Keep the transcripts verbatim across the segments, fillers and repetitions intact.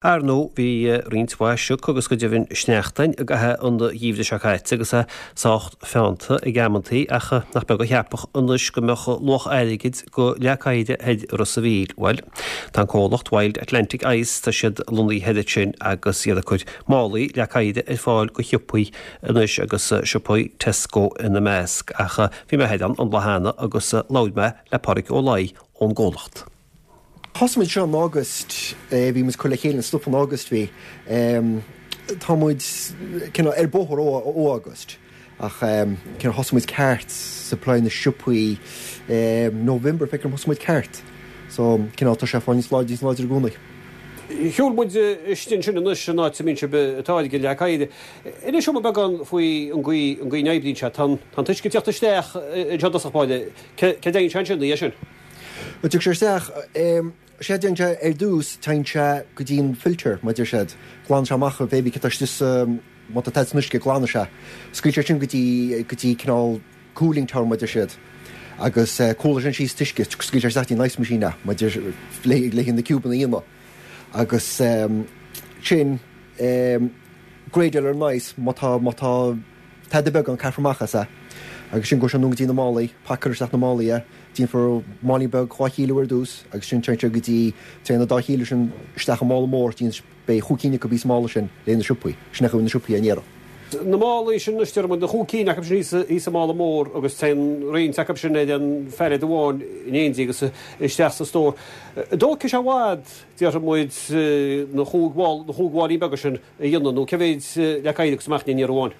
Ar ndóigh bhí roinnt mhaith sioc agus go deimhin sneachtain i gcaitheamh an gheimhridh seo caite agus é sách feannta ag amantaí ach nach beag a cheapfadh anois go mbeadh luach airgid go leac oighir thoir i Ros a' Mhíl. Bhuel, tá an comhlacht Wild Atlantic Ice tá siad lonnaithe thoir ansin agus iad ag cur málaí leac oighir ar fáil go shiopaí anois agus siopaí Tesco ina measc ach bhí mé thoir ann an lá cheana agus labhair mé le Pádraig Ó Laoi ón gcomhlacht. Thosaigh muid seo in August, bhí muid cur le chéile an stuff in August bhí. Tá muid ar bóthar ó ó August ach cineál thosaigh muid ceart supply na siopaí November feicim thosaigh muid ceart. So cineál tá sé fáil níos láidre níos láidre i gcónaí. Shiúil muid istigh ansin anois an áit a mbíonn sibh ag táirgeadh leac oighir. Inis dom beagán faoi an gcaoi an gcaoi a n-oibríonn sé. Tá an t-uisce ag teacht isteach anseo i dtosach báire. Cé dtéann sé ansin é sin? Well sé isteach sé déan sé ar dtús téann sé go dtí an filter mar deir siad. Glanann sé amach bébí tá má tá san uisce glanann sé. Scaoil sé sin go dtí go dtí cineál cooling tower mar deir siad. Agus cúla sin síos t-uisce scaoil sé isteach dtí an ice machine mar deir le le na ciúbanna íona. Agus um, sin um, gradal ar nice má tá má tá tada beag an caithfear amach as é. Agus sin go sé nó go dtí na málaí, pacáil isteach na málaí é, déanfar málaí beag dhá chíló ar dtús agus sin téann sé go dtí téann na dá chíló sin isteach i mála mór dtíon beidh chúig cinn acu sa mála sin le na siopaí, sin na siopaí an iarraidh. Na málaí sin idir na chúig cinn acu sin thíos sa mála mór agus téann roinnt acu sin ar an phallet amháin in éindí agus isteach sa stór. Dócha sé bhfad déarfaidh muid na chúig na chúig mháilín beaga sin a dhéanamh nó cé mhéad leac oighir agus amach in iarraidh amháin.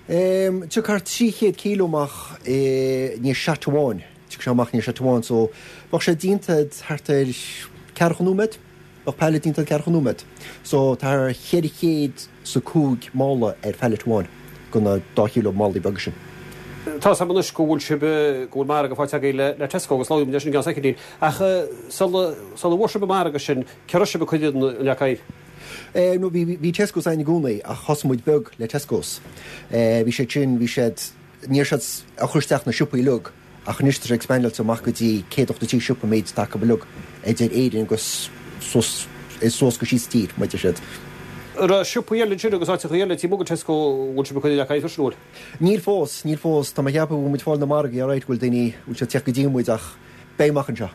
Um, Tiocfaidh trí chéad kíló amach ní shot amháin, Tiocfaidh sé amach ní shot amháin, so bheadh sé déanta thart ar ceathracha nóiméad, bheadh pallet déanta ceathracha nóiméad. So tá cheithre chéad sa cúig mála ar phallet amháin go na dá chíló málaí beaga sin. Tá sam anois go bhfuil sibh go bhfuil margadh faighte agaibh le le Tesco agus labhraíonn leis an gceann soicindín ach sula sula bhfuair sibh an margadh sin cé raibh sibh ag cur an leac oighir. Eh, no, bhí bhí Tesco's ann i gcónaí ach thosaigh muid beag le Tesco's. Eh, bhí sé sin bhí siad níor siad a chur isteach na siopaí uilig ach anois tá sé expanded amach go dtí céad ochtó trí siopa méid taca uilig idir Éirinn agus suas suas go síos tír mar deir siad. Ra siopaí eile sin agus áiteacha eile tí go Tesco bhfuil sibh ag cur leac oighir freisin bhfuil. Níl fós, níl fós, Tá mé ag ceapadh muid fáil na margaí ar bhfuil daoine bhfuil sé teacht go dtí muid ach beidh amach anseo.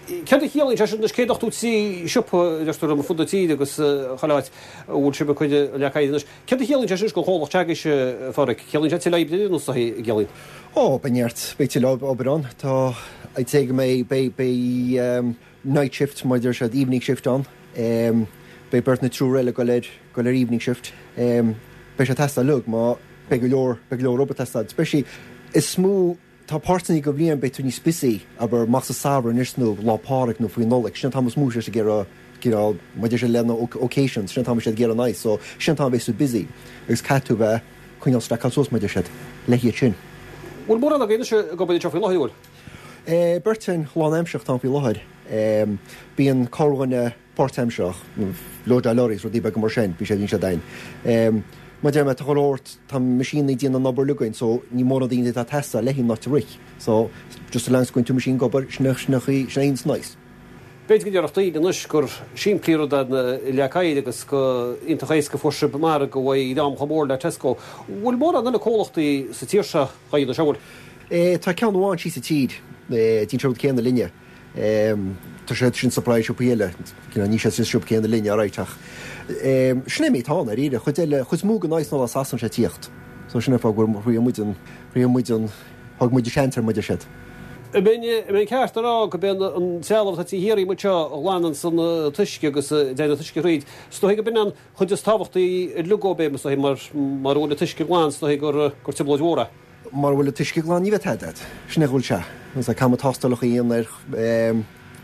Céard a chiallaíonn sé sin céad ochtó trí siopa deirtear ar fud na tíre agus chuile áit bhfuil sibh ag cur leac oighir anois. Céard a chiallaíonn sé sin go chomhlacht s'agaibhse Phádraig, ciallaíonn sé tuilleadh oibre nó sa gciallaíonn? Ó, beidh neart beidh tuilleadh obair ann Tá I'd say go mbeidh beidh beidh um, night shift mar deir siad evening shift ann. Um, beidh beirt nó triúr eile go leir go leir evening shift. Um, beidh sé teastáil uilig má beidh go leor beidh go leor obair teastáil. Especially is mó tá páirteanna go bhliain beidh tú níos busy abair amach sa samhradh anois nó Lá Pádraig nó faoi Nollaig, sin tá mó sé ag iarraidh maidir sé lena occasions, sin tá sé ag iarraidh nice, so sin tá bheith so busy agus caithfidh tú bheith coinneáil stackáil suas mar deir siad le hiad sin. Bhfuil mórán againn se go bhfuil seo faoi láthair bhfuil? Eh, beirt lánaimsearach tá faoi láthair. Bíonn corrdhuine páirtaimsearach, loadáil lorries rudaí beaga mar sin, bhí sé bhíonn sé dain. Má deir mé tá go tá machine déanamh an obair againn, so ní mór na daoine atá teastáil le not to rich. So just as long go tú machine gobar sin sin sin aon nice. B'fhéidir go ndéarfadh daoine anois gur simplí rud na leac oighir agus go iontach éasca fuair sibh margadh uaidh am chomh mór le Tesco. Bhfuil mórán eile comhlachtaí sa tír seo dá dhéanamh seo bhfuil? Eh, tá ceann amháin síos sa tír déanann rud céanna linne. Tá sé sin supply siopaí eile ní sé siopa céanna linne réiteach. Sin é mé tá ar íre chuid eile chuid mó go náis ná sasan sé tíocht. So sin fá gur ri muid an ri muid an thug muid seans ar muid siad. B'in ceart rá go b'in an trealamh atá thiar muid seo a ghlanann san t-uisce agus déanamh t-uisce thríd. Is dóigh go b'in an chuid is tábhachtaí uilig bé mar mar bhfuil an t-uisce glan is dóigh gur gur trioblóid mhór é. Mar bhfuil an t-uisce glan ní bheidh tada. Sin é bhfuil sé. Agus caithfidh tástálacha a dhéanamh ar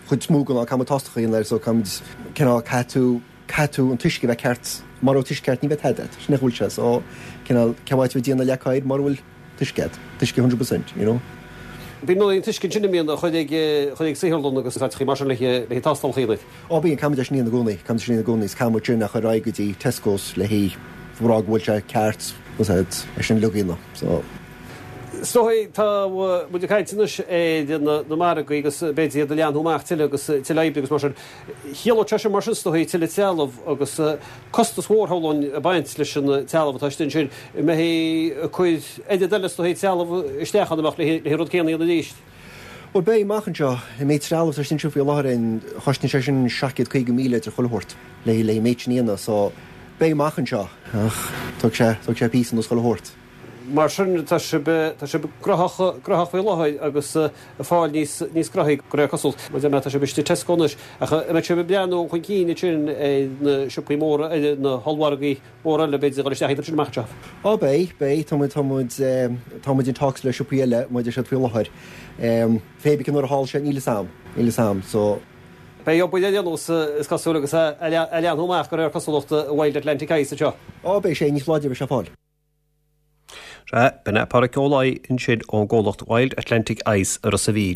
chuid mó ná caithfidh tástálacha a dhéanamh air so caithfidh cineál caithfidh tú caithfidh tú an t-uisce bheith ceart mar ó t-uisce ceart ní bheidh tada. Sin é bhfuil sé so cineál ceáid bheith déanamh leac oighir mar bhfuil t-uisce t-uisce hundred percent, you know. Bíonn an t-uisce sin míon chuid ag chuid ag saotharlann agus áiteacha mar sin le le tástálacha a dhéanamh. Ó bíonn caithfidh sin i gcónaí, caithfidh sin i gcónaí, is caithfidh sin a chur go dtí Tesco's le hí rá go bhfuil sé ceart é sin lugaína so. Is dóigh tá muid ag caint anois ar na margaí agus b'fhéidir iad a leathnú amach tuilleadh agus tuilleadh oibre agus mar sin. Chiallódh sé sin mar sin is dóigh tuilleadh trealamh agus costas mhór shamhlóinn ag baint leis an trealamh atá istigh ansin. An mbeidh ag cur oiread eile is dóigh trealamh isteach ann amach le an rud céanna a dhéanamh arís? Bhuel beidh amach anseo. An méid trealamh atá istigh anseo faoi láthair chosnaíonn sé sin seacht gcéad caoga míle idir chuile shórt le le an méid sin a dhéanamh so beidh amach anseo ach tógfaidh sé tógfaidh sé píosa anuas chuile shórt. Mar sin tá sibh tá sibh gnóthach gnóthach faoi láthair agus ag fáil níos níos gnóthaí de réir cosúlacht. Mar tá sibh istigh Tesco anois ach an mbeidh sibh ag breathnú chun cinn ansin ar na siopaí móra ar na hollmhargaí móra eile b'fhéidir a dhul isteach iad sin amach anseo? Á beidh, beidh, tá muid tá muid tá muid in talks le siopaí eile maidir siad faoi láthair. Pé bith nuair a tharla sé níl fhios a'm, níl fhios a'm, so. Beidh obair ar aon nós is cosúil agus a leathnú amach de réir cosúlachta Wild Atlantic Ice anseo. Á beidh sé níos láidre bheidh sé fáil. Sea, b'in é Páraic Ó Laoi ansin ón gcomhlacht Wild Atlantic Ice i Ros a' Mhíl.